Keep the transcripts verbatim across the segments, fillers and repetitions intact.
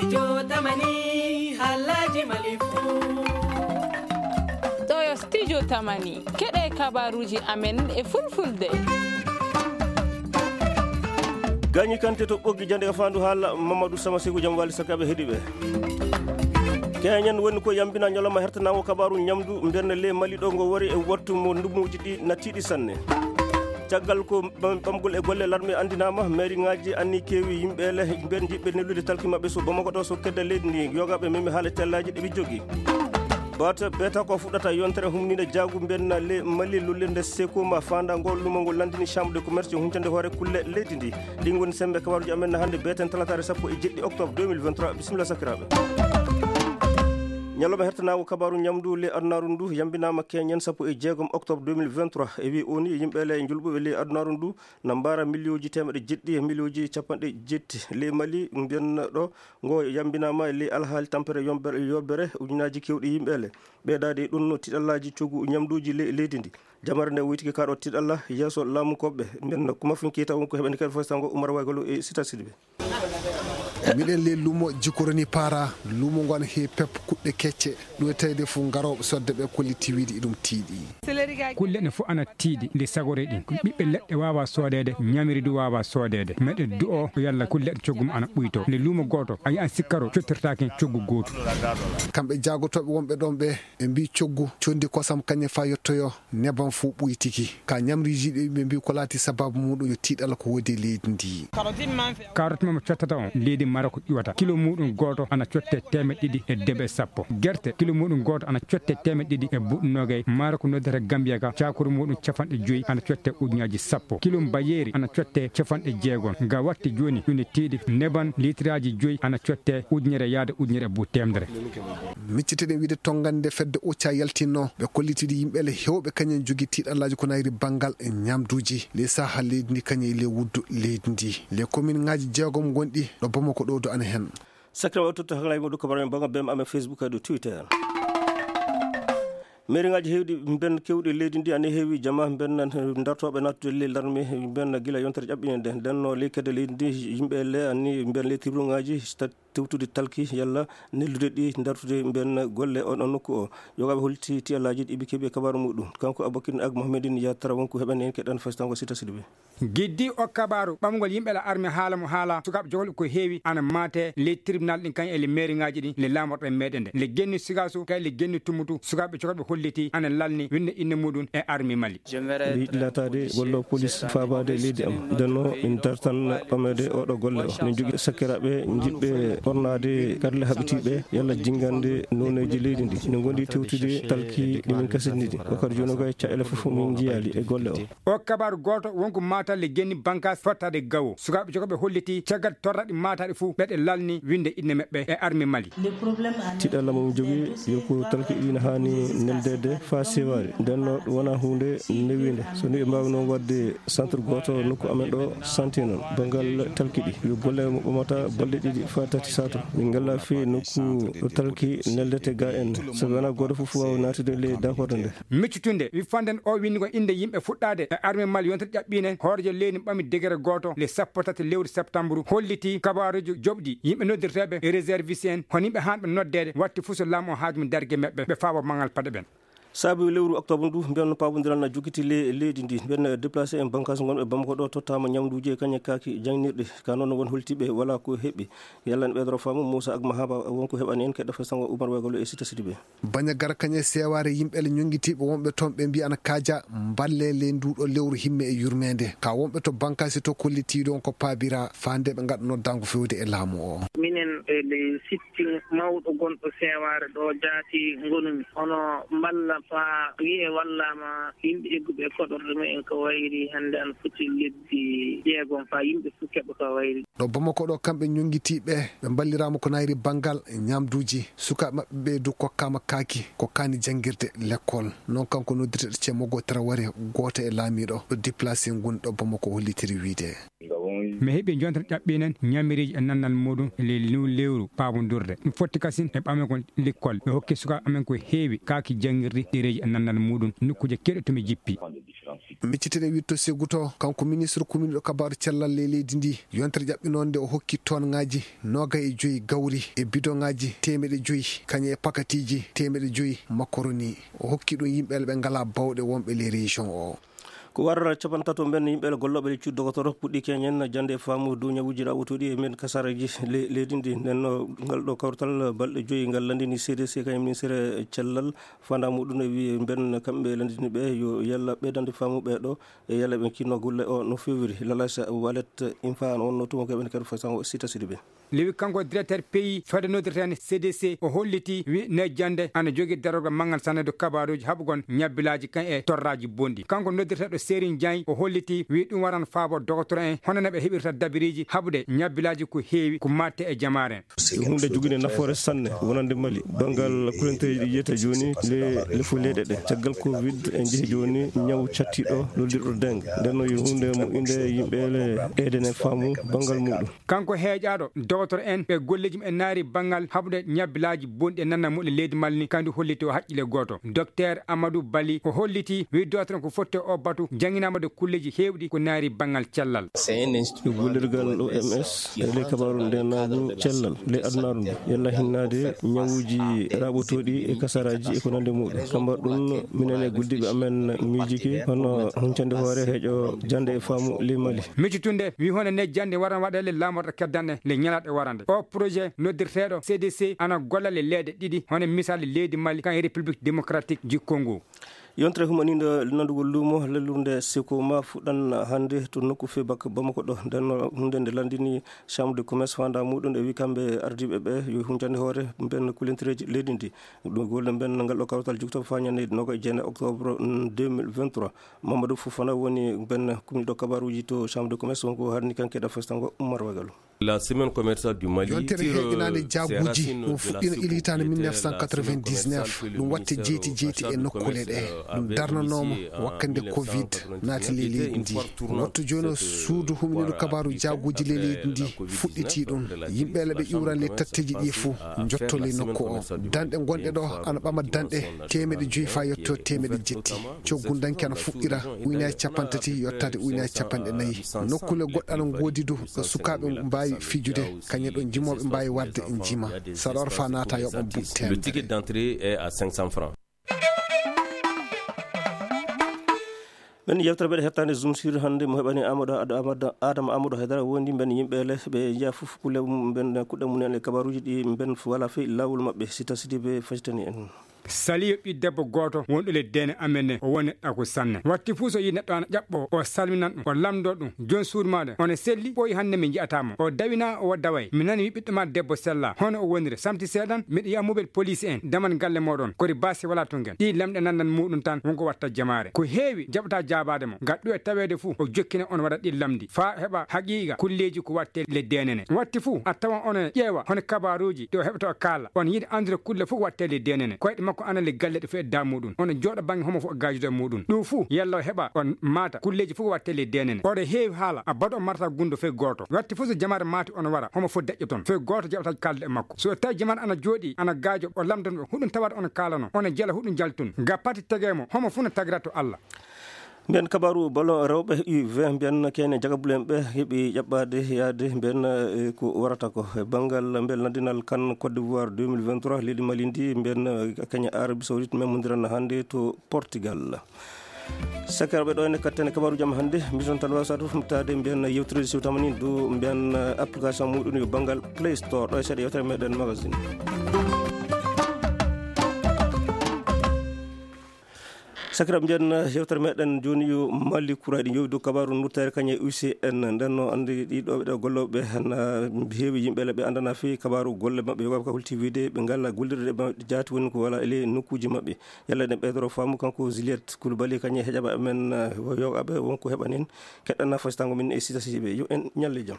Studio Tamani, haalaaji Mali fuu. Ɗo yo Studio Tamani, keɗee kabaaruuji amen e Fulfulde. Gañi Kante to Ɓoggi Jande e Faandu Haala, Mamadou Sama Seku Jam Waali Sakaɓe heɗiiɓe. Keñen woni ko yambina ñalawma hertanaango kabaaru ñamdu mbeɗa ley Mali ɗo ngo wari e wattu mo ndumuuji ɗi nattiiɗi sanne. Caggal ko ɓam-, ɓamgol e golle larme anndinaama, meeriŋaaji anni keewi yimɓe le, yimɓe jiɗɓe neldude talki maɓɓe so Bamako ɗo so kedda leydi ndi, yogaaɓe memi haala tellaaji ɗi ɓe jogii. Bata, beta ko fuɗɗata yontere humninde jaagu mbenna le Mali lullirde Sekuma faanda ngol lumo ngol landini Chambre de Commerce e huncande hoore kulle leydi ndi. Ɗin ngoni sembe kabaruuji amen hannde beeten talataare sappo e jeɗɗi octobre deux mille vingt-trois. Bisimilla sakiraaɓe. Ñalawma hertanaango kabaaru ñamdu le adunaaru ndu yambinaama keñen sappo e jeegom octobre deux mille vingt-trois. E wi o ni yimɓe le njulɓuɓe le adunaaru ndu na mbaara miliyonji teemeɗɗe jeɗɗi e miliyonji capanɗe jetti. Le Mali mbiyanno ɗo ngo yambinaama e ley alhaali tampere yombere, yobbere ujunaaji keewɗi yimɓe le. Ɓeydaade e ɗum no tiɗallaaji coggu ñamduuji le-, leydi ndi. Jamare nde woytike kaa ɗo tiɗalla yeeso laamu koɓɓe. Mbiyanno kuma fin kiita won ko heɓani kadi fof sango Umar Waygolo e Sita Sidibé. Miɗen ley lumo Jikoroni Para, lumo ngon he pep kuɗɗe kecce. Ɗum e tawde fof garooɓe sodde ɓe kolliti wiide iɗum tiiɗi. Kulle ɗe fof ana tiiɗi nde sagoree ɗin. Ɓiɓɓe leɗɗe waawaa soodeede, ñamiri du waawaa soodeede. Meɗe du'oo yalla kulle ɗe coggu mum ana ɓuytoo. Nde luumo gooto, a yi'an sikkaro cottirtaaki coggu gootu. Kamɓe jaagotooɓe wonɓe ɗon ɓe, ɓe mbii coggu, conndi kosam kañe faa yottoyoo, neban fof ɓuytiki. Ka ñamriiji ɗi ɓe mbii ko laati sabaabu muuɗum yo tiiɗal ko woodi e leydi ndi. Karoot mama cottata on, leydi Marok ƴuwata. Kilo muuɗum gooto ana cottee teemeɗɗe ɗiɗi e debe sappo. Gerte, kilo muuɗum gooto ana cottee teemeɗɗe ɗiɗi e buɗɗi noogay. Marok noddata Gambiya ka, caakuru muuɗum capanɗe joy ana cottee ujunnaaji sappo. Kilo mbayeeri ana cottee capanɗe jeegom. Nga watti jooni, ɗum ne tiiɗi. Neban liitiraaji joy ana cottee ujunere yaade ujunere e buuɗi teemedere. Miccitoɗen wiide tongannde fedde Occa yaltinno, ɓe kollitidi yimɓe le heewɓe kañum jogii tiiɗallaaji ko nayri banngal e ñamduuji. Ley sahaa leydi ndi kañum e ley wuddu leydi ndi. Ley kominŋaaji jeegom ngonɗi ɗo Bamako ɗo du ana hen. Sakiraaɓe o totta haklaaji mo ɗo ko mbaɗa men banngal bem amen Facebook e dow Twitter. Meeriŋaaji heewɗi mben keewɗi leydi ndi ana heewi jama mben dartooɓe naattude ley larme mben gila yontere ƴaɓɓinende. Nden no ley kedde leydi ndi yimɓe le anni mben ley tibrungaaji tewtude talki yalla neldude ɗi dartude mben golle on, on nokku o. Yogaaɓe holti tiyallaaji ɗi ɓe keɓi e kabaaru muɗum. Kanko Abubakar Ag Mohamedin yaltata wonko heɓani en keɗan fasitango Sita Sidibé. Giddi o kabaaru ɓamgol yimɓe la arme haala mo haala sukaaɓe jokolɓe ko heewi ana maate ley tribunal ɗin kañ e le meeriŋaaji ɗin le laamorɗe meɗe nde. Le genni Sigaasu kay le genni Tumutu sukaaɓe jokolɓe holliti ana lalni winnde inne muɗum e arme Mali. Miɗo yiɗi laataade golloowo polis faabaade e leydi am. Nden no min dartan ɓameede oɗo golle o. Min jogii sakiraaɓe jiɗɓe ɓornaade karle haɓitiiɓe yalla jinngande nooneeji leydi ndi. Min ngondi tewtude talki ɗi min kasinɗini. Wakati jooni o kay caɗeele fof min njiyaali e golle o. O kabaaru gooto wonko maatalle genni bankaas fottaade gawo. Sukaaɓe jogoɓe holliti caggal torraɗi maataɗi fuu ɓeɗe lalni winnde inne maɓɓe e arme Mali. Tiɗalla mo min jogii yo ko talki ɗi na haani neldeede faa sewaade. Nden no ɗum wonaa huunde newiinde. So ni ɓe mbaawi noon waɗde centre gooto nokku amen ɗo santi noon. Banngal talki ɗi yo golle mo ɓamata balɗe ɗiɗi faa tati sato. Min ngalla fii nokku ɗo talki neldete ga en. So wonaa gooto fof waawa naatude ley daakorde nde. Miccitunde wi fanden o winndi ko innde yimɓe fuɗɗaade e arme Mali yontere ƴaɓɓiinde hooreejo leydi ɓami degere gooto le sappo tati lewru septambru holliti kabaaruuji joɓɗi yimɓe noddirteeɓe e réserviste en hono yimɓe haanɓe noddeede watti fuu so laamu o haaju mum darge maɓɓe ɓe faawa maŋal paɗe ɓen. Saabi lewru octobre ndu mbiyanno paabondiral na jokkiti le leydi ndi mbiyanno déplacé en bankaas ngonɓe Bamako ɗo tottaama ñamduuji e kañe kaaki jaŋnirɗi ka noon won holtiiɓe wala ko heɓi yalla ne ɓeydoro faamu Moussa Agma Haba wonko heɓani en keɗɗa fesango Oumar Wegolo e Sita Sidibé. Baña gara kañe seewaare yimɓe le ñonngitiiɓe wonɓe toon ɓe mbiya ana kaaja mballe ley nduuɗo lewru himme e yurmeende. Ka wonɓe to bankaasi to kollitiiɗo on ko paabira faa nde ɓe ngaɗa noddaango fewde e laamu o. Minen e ley sitting mawɗo gonɗo seewaare ɗo jaati ngonumi. Hono mballa faa wi'e wallaama yimɓe egguɓe e koɗorɗe mumen ko wayri hannde ana foti lebbi jeegom faa yimɓe fuu keɓa ko wayri. Ɗo Bamako ɗo kamɓe ñonngitiiɓe ɓe mballiraama ko nayri banngal ñaamduuji. Sukaaɓe maɓɓe ɓee du kokkaama kaaki ko kaani janngirde lekkol. Noon kanko noddirteeɗo Cemmogo Taraware gooto e laamiiɗo ɗo déplacé ngun ɗo Bamako hollitiri wiide. Mi heɓii jontere ƴaɓɓiinen ñamiriiji e nannal muuɗum e ley lewru paabondurde. Ɗum fotti kasin e ɓamegol lekkol. Ɓe hokki sukaaɓe amen ko heewi kaaki janngirde ɗereeji e nannal muuɗum nokkuuje keewɗe to mi jippi. Micciteten wiɗto Seguto, kanko ministre kuminɗo kabaaru cellal ley leydi ndii, yontere ƴaɓɓinoonde o hokki toonŋaaji noogay e joy gawri e bidoŋaaji teemeɗe joy, kañum e pakatiiji teemeɗe joy makoroni. O hokki ɗum yimɓe ɓe ngalaa bawɗe wonɓe ley région o. Ko warata capantato ɓen yimɓe gollooɓe ley cuuɗi dogotoro puɗɗii keñen jannde e faamu dow ñawuuji raɓotooɗi e nder kasaareeji le-, leydi ndi. Nden no ngal ɗoo kawtal balɗe joy ngal lanndini C D C kañum ministere cellal. Faandaa muuɗum e wiye ɓen kamɓe lanndini ɓe yo yalla ɓeydande faamu ɓee ɗoo e yalla ɓe kinno golle o no feewiri. Lalasa Walet Infa no wonnoo tuma ko ɓen kadi fasango Sita Sidibe. Lewi kanko directeur pays fedde noddirteende C D C, o hollitii wi ne jannde ana jogii darorgal manngal sanne dow kabaaruuji haɓugol ñabbilaaji kan e torraaji bonɗi. Kanko noddirteeɗo Serigne Diagne o hollitii wi ɗum waran faabo dogotoro en hono no ɓe heɓirta dabiriiji haɓude ñabbilaaji ko heewi ko maatte e jamaare. Ko huunde jogiinde nafoore sanne wonande Mali. Banngal kulanteeji ɗi yiyata jooni le, le fo leyɗe ɗe. Caggal covid en njehi jooni ñaw cattiiɗo lollirɗo dengue. Nden no yo huunde moƴƴunde yimɓe le ɓeydane faamu banngal muuɗum. Kanko heeƴaaɗo dogotoro en ɓe golleeji mum e naari banngal haɓude ñabbilaaji bonɗi e nannal muɗum leydi Mali ni, kandu holliti o haqqille gooto. Docteur Amadou Bali o hollitii wi dogotoro en ko fotti o batu jannginaama de kulleeji heewɗi ko naari banngal cellal. Gollirgal O M S e ley kabaaru ndeenaagu cellal ley adunaaru ndu, yalla hinnaade ñawuuji raɓotooɗi e kasaraaji e ko nandi muuɗum. Kamba ɗum, minen e golliiɓe amen miijike hono huncande hoore heeƴo jannde e faamu ley Mali. Miccitunde wi hono ne jannde waran waɗeele laamorɗe keddanɗe le ñalaaɗe warande. O projet noddirteeɗo C D C ana golla le leyɗe ɗiɗi, hono misal leydi Mali kan e République démocratique du Congo. Yontere humaniinde nandugol luumo lallunde Sekoma fuɗɗan hannde to nokku fee bak Bamako ɗo. Nden no huunde nde lanndini Chambre de Commerce faandaa muuɗum e wi kamɓe ardiiɓe ɓe yo huncande hoore mben kulentereeji leydi ndi. Ɗum golle mben ngal ɗo kawtal jugto faa ñande noga e jeenayi octobre, mm, deux mille vingt-trois. Mamadou Fofana woni mben kuminɗo kabaaruuji to Chambre de Commerce, wonko harni kanke da festango Umar Wagalu. La semaine commerciale du Mali. Yontere heeƴinaande jaaguuji ɗum fuɗɗiino ila hitaande mille neuf cent quatre-vingt-dix-neuf. Ɗum watte jeyti jeyti e nokkuule ɗe. Ɗum darnanooma wakkande covid naati ley leydi ndi. Wattu jooni o suudu huminirdu kabaaru jaaguuji ley leydi ndi fuɗɗitii ɗum. Yimɓe le ɓe ƴuuran ley tatteeji ɗi fuu njotto ley nokku o. Danɗe gonɗe ɗo ana ɓama danɗe teemeɗe joy faa yotto teemeɗe jetti. Coggu danki ana fuɗɗira ujunaaji cappanɗe tati yottaade ujunaaji cappanɗe nayi. Nokkuule goɗɗe ana ngoodi du ɗo sukaaɓe mbaawi fijude, kañum ɗo jimooɓe mbaawi warde njima. Saɗa wara faa naata yoɓan buuɗi teemedere. Le ticket d'entrée est à cinq cents francs. Ɓen yewtere meɗen hettaande Zoom sur hannde mo heɓani Amadou, Ad-, Amadou, Adama Amadou Haydara wondi mben yimɓe le ɓe njiya fof kulle mum, mben kuɗɗe mum en e kabaruuji ɗi mben wala fey laawol maɓɓe. Sita Sidibe facitani en. Saliyo ɓii debbo gooto wonɗo le deene amen ne, o woni neɗɗo ko sanne. Watti fuu so yi neɗɗo ana ƴaɓɓo, o salminan ɗum, o lamndoo ɗum. Jooni suudu maaɗa, ono selli, ɓooyi hannde mi nji'ataa mo. O dawinaa, o daway. Mi nani wi ɓiɗɗo maa debbo sellaa. Hono o woniri? Samti seeɗan, miɗo yi'a mobel poliisi en, daman galle mooɗon. Kori baasi walaa to ngen. Ɗii lamɗe nannan muuɗum tan, wonko watta jamaare. Ko heewi, jaɓataa jaabaade mo. Ngal ɗum e taweede fuu, o jokkina on waɗa ɗii lamndi. Faa heɓa haqiiqa kulleeji ko wattee le deenene. Watti fuu, a tawan ono ƴeewa hono kabaaruuji ɗi o heɓata o kaala. On yiɗi anndude kulle fuu ko wattee le deenene. Koyɗe makko ana le galle ɗo fuu e daa muuɗum. Ono jooɗa bannge homo fuu o gaajude e muuɗum. Ɗum fuu, yalla o heɓa on maata kulleeji fuu ko wattee le deenene. Oɗo heewi haala, a bado o marata gunndo fey gooto. Watti fuu so jamaare maati ono wara, homo foti deƴƴo toon. Fey gooto jaɓata kaalde e makko. So tawi jamaare ana jooɗii, ana gaajo, o lamndano ɓe, huɗum tawata ono kaalano. Ono jela huɗum jaltun. Ga pati tegee mo, homo fuu no tagira to Alla. Mbiyen kabaaru ballon rewɓe U vingt, mbiyen kene jagabulen ɓe heɓi ƴaɓɓaade yaade mbiyen, eh, ko warata ko. E banngal mbiyen lanndinal kan Côte d'Ivoire deux mille vingt-trois, leydi Mali ndi mbiyen, eh, kañum Arabie Saoudite memmondiran hannde to Portugal. Sakiraaɓe, ɗo ene katten e kabaaruuji am hannde. Mbiɗon tan waawi saato fomtaade mbiyen yewtere siwtama ni dow mbiyen, eh, application muuɗum yo banngal Play Store. Ɗo e seeɗa yewtere meɗen magazine. Sakiraaɓe, mbiyen yewtere meɗen jooni yo Mali kuraaɗi njowi dow kabaaru nurteere kañe U C N. Nden no anndi ɗiɗo ɓe ɗo gollooɓe na heewi yimɓe le ɓe anndana fii kabaaru golle maɓɓe yoga ka holti wiide ɓe ngala gollirde maɓɓe jaati woni ko wala e ley nokkuuji maɓɓe. Yalla ɗen ɓeydoro faamu kanko Juliette Coulibaly kañe heƴaɓa men, eh, yogaɓe wonko heɓanen keɗɗana fasitango min e sita siɓe yo en ñalle jam.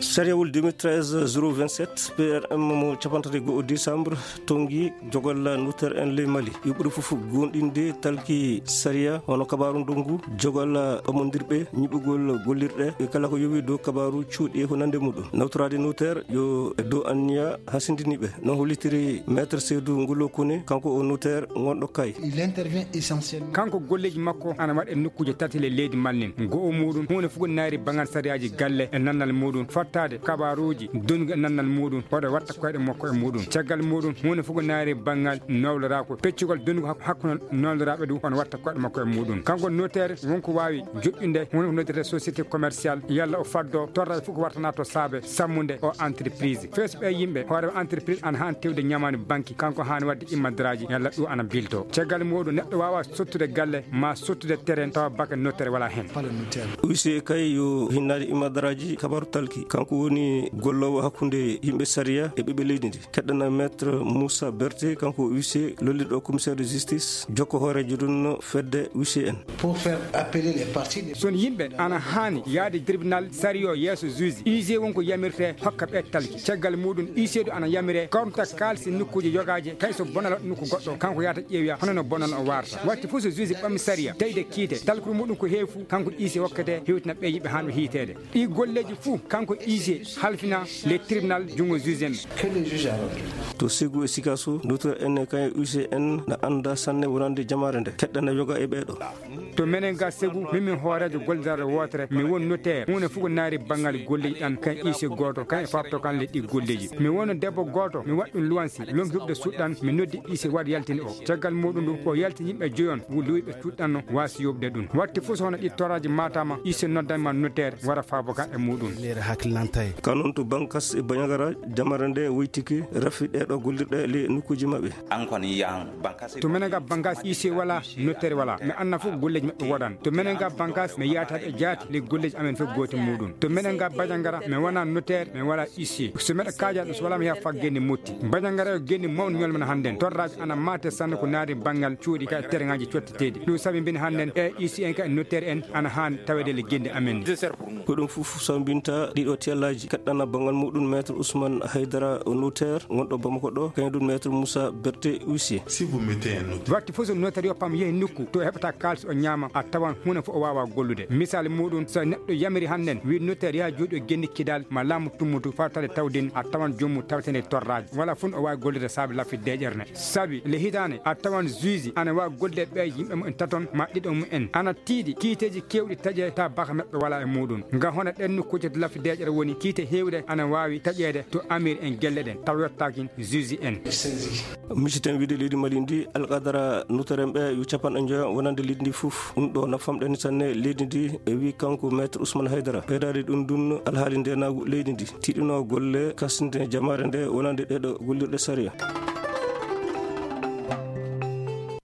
Sariyawol deux mille treize zéro vingt-sept P R M mo cappantato e go'o décembre tonngi jogal notaire en ley Mali, yuɓɓude fof goonɗinde talki sariya hono kabaaru ndonngu jogal ɓammondirɓe ñiɓugol gollirɗe e kala ko yowii dow kabaaru cuuɗi e ko nanndi e muɗum. Nawtoraade notaire yo e dow anniya hasindiniiɓe. No hollitiri Maître Seydou Ngolo Kone, kanko o notaire ngonɗo Kay. Il intervient essentiellement. Kanko golleeji makko ana waɗa e nokkuuje tati ley leydi Mali ndin. Go'o muuɗum, huunde fof ko naayri banngal sariyaaji galle e nannal muuɗum, fottaade kabaaruuji donnugi e nannal muuɗum, oɗo watta koyɗe makko e muuɗum. Caggal muuɗum, huunde fof ko naayri banngal nowloraaku, peccugol donnugu hak-, hakkunde nowloraaɓe ɗum, ono watta koyɗe makko e muuɗum. Kanko notaire won ko waawi joƴƴinde huunde ko noddirtee société commerciale, yalla o faddo torra fof ko wartanaa to saabe sammude o entreprise. Fees ɓee yimɓe, hooreeɓe entreprise ana haani tewde ñamaani banki, kanko haani waɗde immadaraaji, yalla ɗum ana bilto. Caggal muuɗum, neɗɗo waawaa sottude galle, maa sottude terrain, tawa baka notaire walaa heen. Huissier kay yo hinnaade immadaraaji kabaaru talki. Kanko woni golloowo hakkunde yimɓe sariya e ɓiɓɓe leydi ndi. Keɗɗana Maître Moussa Berté, kanko huissier lollirɗo commissaire de justice, jokko hooreejo ɗum fedde huissier en. Pour faire appeler les parties des... Son yimɓe ana haani yaade tribunal sariya o yeeso juge. Huissier won ko yamirtee hokka ɓe talki. Caggal muuɗum, huissier du ana yamiree kormta kaalisi nokkuuje yogaaje, kay so bonal waɗi nokku goɗɗo, kanko yahata ƴeewoya hono no bonal o waarta. Watti fof so juge ɓami sariya, tawi de kiite, talkuru muuɗum ko heewi fuu, kanko huissier hokketee hewtina ɓee yimɓe haa ɓe hiiteede. Ɗii golleeji fuu, kanko huissier halfina le tribunal junngo juge en. Que le juge a rendu. To Ségou e Sikasso, notaire en e kay huissier en na annda sanne wonande jamaare nde, keɗɗana yoga e ɓee ɗoo. To menen ga Ségou, min mi hooreejo gollirde wootere, mi won notaire, huunde fof ko naayri banngal golleeji ɗan, kan huissier gooto, kan e faabto kan le ɗii golleeji. Mi won debbo gooto, mi waɗi ɗum luwansi, lonki huɓde suuɗ ɗan, mi noddi huissier waɗ yaltini o. Caggal muuɗum ɗum, o yaltini yimɓe joyon, wu-, luwi ɓe cuuɗɗanno waasi yoɓde ɗum. Watti fof so hono ɗi toraaji maataama, huissier noddanma notaire, wara faabo ka e muuɗum. Leere hakkilantay. Ka noon to Bankas e Bandiagara, jamaare nde woytike rafi ɗee ɗoo gollirɗe le nokkuuji maɓɓe. An kon yan Bankas. To menen ga Bankas, huissier walaa, notaire walaa. Mi annda fof golleeji maɓɓe woɗan. To menen ga Bankas, mi yaata e jaati, le golleeji amen fof gooti muuɗum. To menen ga Bandiagara, mi wonaa notaire, mi walaa huissier. So miɗa kaaja ɗum, so walaa mi yaha faa genne motti. Bandiagara yo genne mawni ñolmana hannden. Torraaji ana maate sanne ko naari banngal cuuɗi ka e terŋaaji cotteteeɗi. Ɗum sabi mbin hannden e huissier en ka e notaire en ana haani taweede le genne amen ni. Ko ɗum fof sambinta ɗiɗo tiyallaaji. Keɗɗana banngal muɗum Maître Ousmane Haydara, notaire ngonɗo Bamako ɗo, kañum ɗum Maître Moussa Berté, huissier. Si vous mettez un notaire. Watti fof so notaire yo pam yehi nokku to heɓata kaalis o ñaama, a tawan huunde fof o waawaa gollude. Misaali muɗum, so neɗɗo yamiri hannden, wi notaire yaha jooɗi o genni kidal ma laamu tummutu fawtaade tawdin, a tawan joomum tawetene torraaji. Wala fun o waawi gollude saabe lafi deeƴere ne. Sabi le hitaande, a tawan juge ana waawi gollude ɓee yimɓe mumen taton ma ɗiɗo mumen. Ana tiiɗi kiiteeji keewɗi taƴe ta baka maɓɓe walaa e muɗum. Nga hono ɗen nokkuuje to lafi deeƴere woni, kiite heewɗe ana waawi taƴeede to amir en gelle ɗen, tawa yottaakin juge en. Misiɗen wiide leydi Mali ndi, alqadara notaire en ɓe yo capanɗe njoya wonande leydi ndi fof. Ɗum ɗo nafamɗen sanne leydi ndi, e wi kanko Maître Ousmane Haydara. Ɓeydaade ɗum ɗum alhaali ndeenaagu leydi ndi. Tiiɗinoo golle kasnde jamaare nde wonande ɗee ɗo gollirɗe sariya.